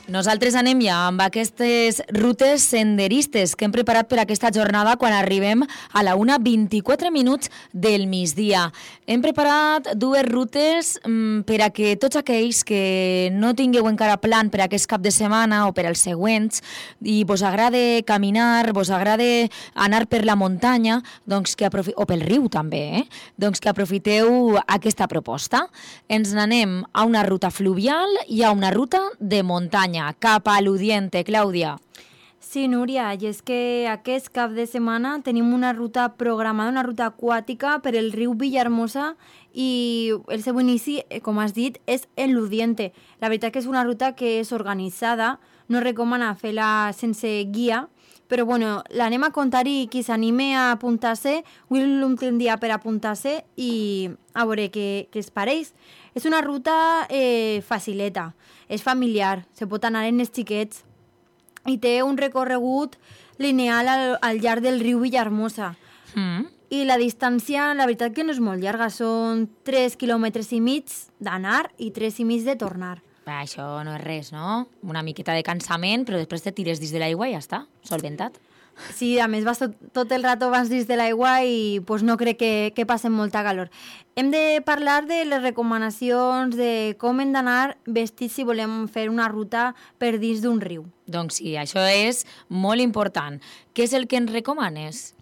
Nosaltres anem ja amb aquestes rutes senderistes que hem preparat per aquesta jornada quan arribem a la 1:24 del migdia. Hem preparat dues rutes per a que tots aquells que no tingueu encara plan per aquest cap de setmana o per als següents i vos agrada caminar, vos agrada anar per la muntanya, doncs o pel riu també, doncs que aprofiteu aquesta proposta. Ens n'anem a una ruta fluvial i a una ruta de muntanya. Cap a l'Udiente, Clàudia. Sí, Núria, i és que aquest cap de setmana tenim una ruta programada, una ruta aquàtica per el riu Villahermosa i el seu inici, com has dit, és en l'Udiente. La veritat que és una ruta que és organitzada, no recomana fer-la sense guia, però bueno, l'anem a contar i qui s'anime a apuntar-se, avui l'últim dia per apuntar-se i a veure què es pareix. És una ruta facileta, és familiar, se pot anar en els xiquets i té un recorregut lineal al llarg del riu Villahermosa. I la distància, la veritat que no és molt llarga, són 3,5 quilòmetres d'anar i 3,5 de tornar. Això no és res, no? Una miqueta de cansament, però després te tires dins de l'aigua i ja està, solventat. Sí, a més vas tot el rato abans dins de l'aigua i pues, no crec que passen molta calor. Hem de parlar de les recomanacions de com hem d'anar vestits si volem fer una ruta per dins d'un riu. Doncs sí, això és molt important. Què és el que ens recomanes?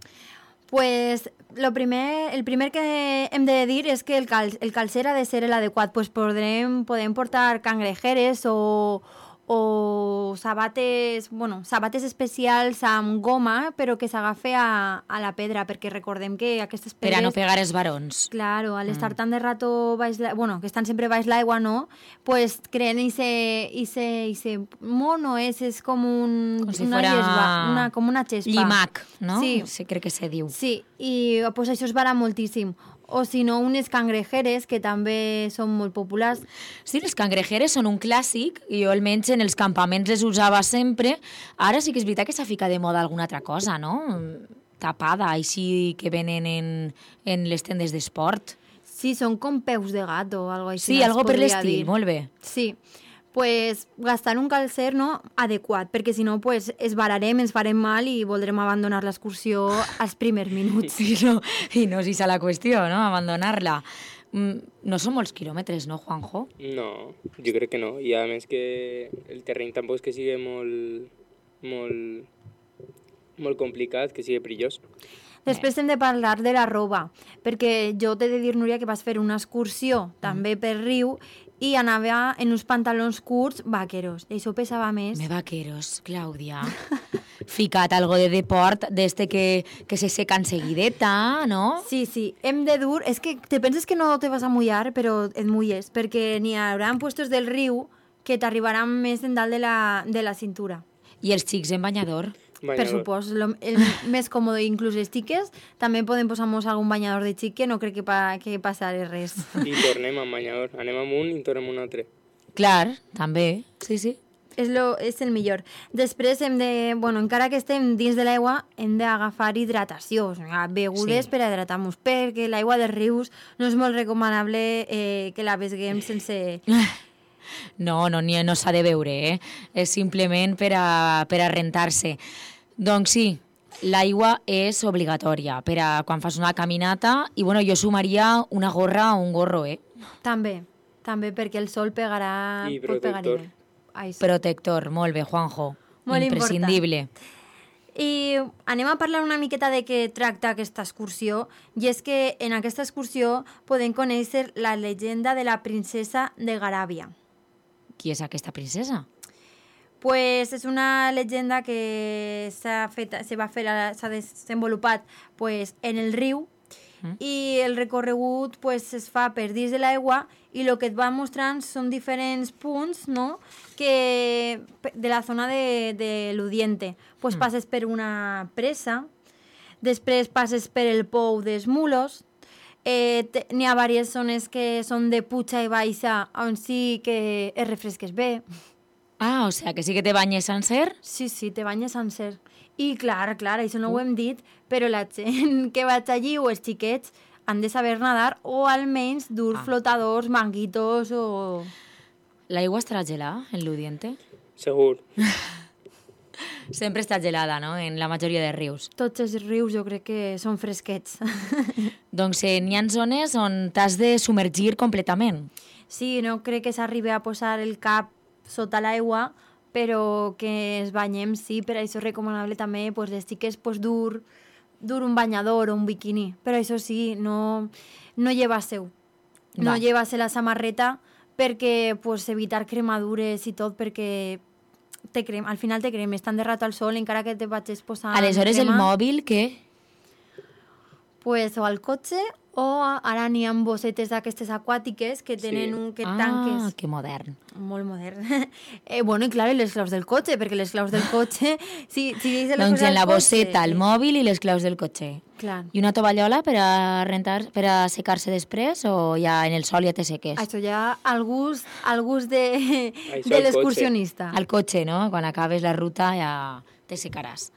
Pues el primer que hem de dir és que el calcer ha de ser l'adequat. Pues podem portar cangrejeres o sabates especials amb goma, però que s'agafe a la pedra, perquè recordem que aquestes pedres... Per a no pegar els barons. Claro, al estar tant de rato que estan sempre baix l'aigua, no? Pues creen ese mono, és com com si fora com una xespa. Llimac, no? Sí. Sí, crec que se diu. Sí, i pues això es vala moltíssim. O si no, unes cangrejeres, que també són molt populars. Sí, les cangrejeres són un clàssic, i jo almenys en els campaments les usava sempre. Ara sí que és veritat que s'ha ficat de moda alguna altra cosa, no? Tapada, així que venen en les tendes d'esport. Sí, són com peus de gat o alguna cosa així. Sí, algo per l'estil, molt bé. Sí, pues gastar un calcer adequat, perquè si no pues, esbararem, ens farem mal i voldrem abandonar l'excursió als primers minuts. I no és la qüestió, no?, abandonar-la. No són molts quilòmetres, no, Juanjo? No, jo crec que no. I a més que el terreny tampoc és que sigui molt complicat, que sigui perillós. Després hem de parlar de la roba, perquè jo t'he de dir, Núria, que vas fer una excursió també per riu i anava en uns pantalons curts vaqueros. I això pesava més. Vaqueros, Clàudia. Ficat algo de deport, d'este que se seca enseguideta, no? Sí. Hem de dur... És que te penses que no te vas a mullar, però et mulles, perquè n'hi haurà puestos del riu que t'arribaran més en dalt de la cintura. I els xics en banyador? Per supost, el més còmode, inclús les xiques, també podem posar-nos algun banyador de xic, que no crec que passarà res. I tornem amb banyador, anem amb un i tornem un altre. Clar, també, sí. És el millor. Després hem de, encara que estem dins de l'aigua, hem d'agafar hidratació, begudes per a hidratar-nos, perquè l'aigua dels rius no és molt recomanable que la beguem sense... No s'ha de beure, és simplement per a rentar-se. Doncs sí, l'aigua és obligatòria per a quan fas una caminata i jo sumaria una gorra o un gorro, També, perquè el sol pegarà... I protector. Protector, molt bé, Juanjo. Molt imprescindible. Important. I anem a parlar una miqueta de què tracta aquesta excursió, i és que en aquesta excursió podem conèixer la llegenda de la princesa de Garàbia. Qui és aquesta princesa? Pues és una llegenda que s'ha desenvolupat en el riu i el recorregut es fa per dins de l'aigua i el que et va mostrant són diferents punts, no?, que de la zona de l'Udiente. Passes per una presa, després passes per el pou dels Mulos. N'hi ha diverses zones que són de puja i baixa on sí que es refresques bé. O sigui que sí que te banyes sencer? Sí, te banyes sencer. I clar, això no ho hem dit, però la gent que vaig allí o els xiquets han de saber nadar o almenys dur flotadors, manguitos o... L'aigua estarà gelada en l'Udiente? Segur. Sempre està gelada, no?, en la majoria de rius. Tots els rius jo crec que són fresquets. Doncs n'hi ha zones on t'has de submergir completament. Sí, no crec que s'arribi a posar el cap sota l'aigua, però que ens banyem, sí, per això és recomanable també pues, les xiques pues, dur un banyador o un biquini, però això sí, no llevar-se-ho. No llevar-se la samarreta perquè pues, evitar cremadures i tot, perquè al final te cremes tant de rato al sol encara que te vagis posant Aleshores crema, el mòbil, què? pues, o al cotxe o ara n'hi ha bossetes d'aquestes aquàtiques que tenen un que tanques. Ah, que modern. Molt modern. Bueno, i clar, i les claus del cotxe, perquè les claus del cotxe... Si doncs en la bosseta, el mòbil i les claus del cotxe. Clar. I una tovallola per a secar-se després o ja en el sol ja te seques? Això ja al gust de l'excursionista. Al cotxe, no? Quan acabes la ruta ja te secaràs.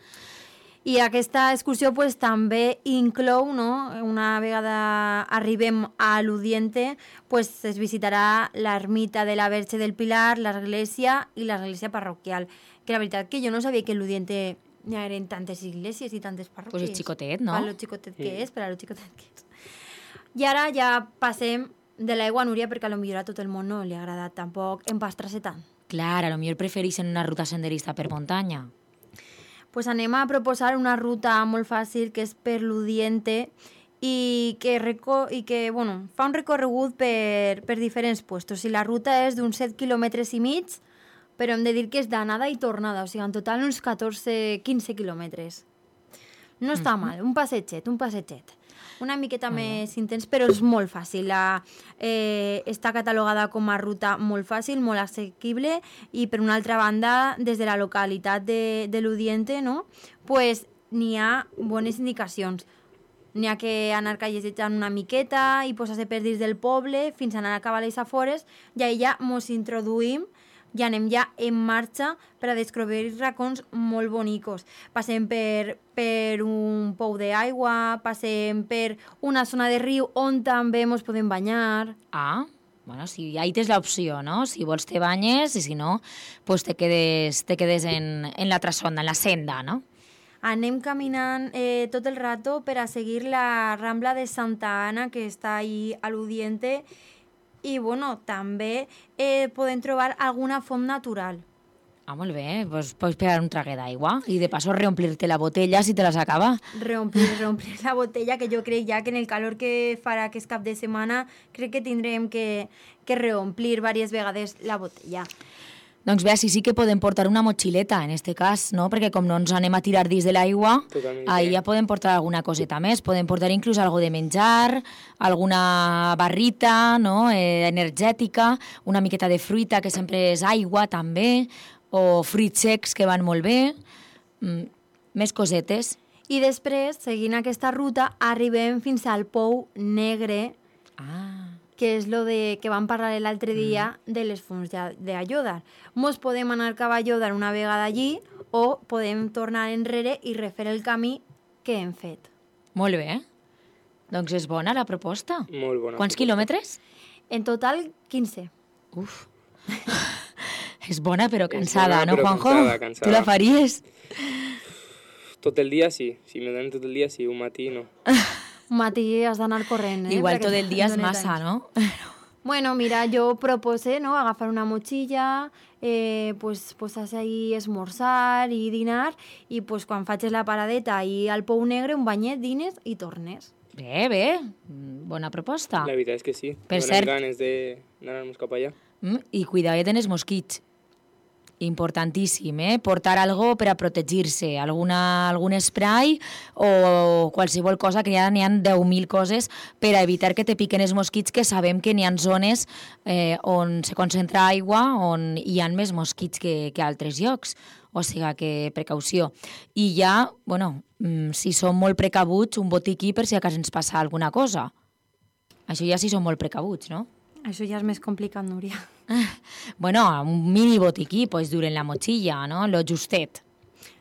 I aquesta excursió pues, també inclou, no? Una vegada arribem a l'Udiente, pues, es visitarà l'ermita de la Verge del Pilar, l'església i l'església parroquial. Que la veritat que jo no sabia que a l'Udiente hi eren tantes iglesias i tantes parròquies. Pues és xicotet, no? Per lo xicotet que és, per a lo xicotet que és. I ara ja passem de l'aigua a Núria, perquè a lo millor a tot el món no li agrada tampoc empastrar-se tant. Clar, a lo millor prefereixen una ruta senderista per muntanya. Pues anem a proposar una ruta molt fàcil que és per l'Udiente i que bueno, fa un recorregut per diferents puestos. I la ruta és d'uns 7 quilòmetres i mig, però hem de dir que és d'anada i tornada, o sigui, en total uns 14-15 quilòmetres. No està mal, un passetget. Una miqueta més intens, però és molt fàcil. Està catalogada com a ruta molt fàcil, molt assequible, i per una altra banda, des de la localitat de l'Udiente, no? Pues, n'hi ha bones indicacions. N'hi ha que anar callejejant una miqueta i posar-se per dins del poble fins a anar a acabar les afores, i ahir ja mos introduïm i anem ja en marxa per a descobrir racons molt bonicos. Passem per un pou d'aigua, passem per una zona de riu on també ens podem banyar. Ah, bueno, sí, ahí tens l'opció, no? Si vols te banyes i si no, pues te quedes en l'altra zona, en la senda, no? Anem caminant tot el rato per a seguir la Rambla de Santa Ana, que està ahí a l'Udiente, i bueno, també podem trobar alguna font natural. Ah, molt bé, pues pots pegar un traguet d'aigua i de paso reomplir-te la botella si te la s'acaba. Reomplir la botella, que jo crec ja que en el calor que farà aquest cap de setmana crec que tindrem que reomplir diverses vegades la botella. Doncs bé, sí que podem portar una motxileta, en este cas, no? Perquè com no ens anem a tirar dins de l'aigua, ahí ja podem portar alguna coseta més. Podem portar inclús algo de menjar, alguna barrita, no? Energètica, una miqueta de fruita, que sempre és aigua, també, o fruits secs, que van molt bé, més cosetes. I després, seguint aquesta ruta, arribem fins al Pou Negre, que és lo que vam parlar l'altre dia de les fonts d'Aiòdar. Mos podem anar cap a Aiòdar una vegada allí o podem tornar enrere i refer el camí que hem fet. Molt bé. Doncs és bona la proposta. Molt bona. Quants quilòmetres? En total, 15. Uf. És bona però cansada, bona, no, però Juanjo? cansada. Tu la faries? Tot el dia sí. Si me donen tot el dia sí, un matí no. Un matí has d'anar corrent, Igual tot el dia és massa, no? Bueno, mira, jo propose, no?, agafar una motxilla, pues posar-se ahí esmorzar i dinar, i pues quan facis la paradeta i al Pou Negre, un banyet, dines i tornes. Bé, bona proposta. La veritat és que sí. Per Donen cert, ganes d'anar-nos cap allà. I cuidadet en els mosquits. Importantíssim, portar algo per a protegir-se, algun spray o qualsevol cosa, que ja n'hi ha 10.000 coses per a evitar que te piquen els mosquits, que sabem que n'hi ha zones on se concentra aigua, on hi ha més mosquits que a altres llocs, o sigui que precaució. I ja, bueno, si som molt precabuts, un botiquí per si a casa ens passa alguna cosa. Això ja si som molt precabuts, no? Això ja és més complicat, Núria. Bueno, un mini botiquí, pues duren la motxilla, ¿no? Lo justet.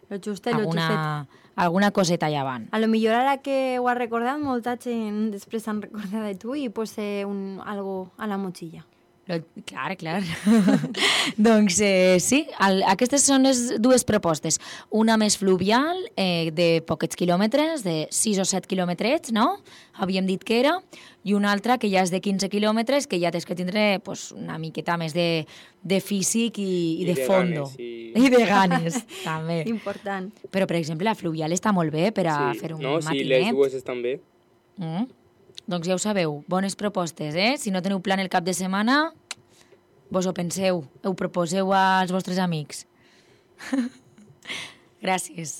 Lo justet. Alguna coseta allà van. A lo millor ara que ho has recordat, molta gent després s'han recordat de tu i posa algo a la motxilla. Clar, clar. Doncs sí, aquestes són les dues propostes. Una més fluvial, de poquets quilòmetres, de 6 o 7 quilòmetres, no? Havíem dit que era. I una altra que ja és de 15 quilòmetres, que ja tens que tindre pues, una miqueta més de físic i de fondo. Ganes, I de ganes, també. Important. Però, per exemple, la fluvial està molt bé per a fer un matinet. Sí, les dues estan bé. Doncs ja ho sabeu, bones propostes, eh? Si no teniu plan el cap de setmana, vos ho penseu, ho proposeu als vostres amics. Gràcies.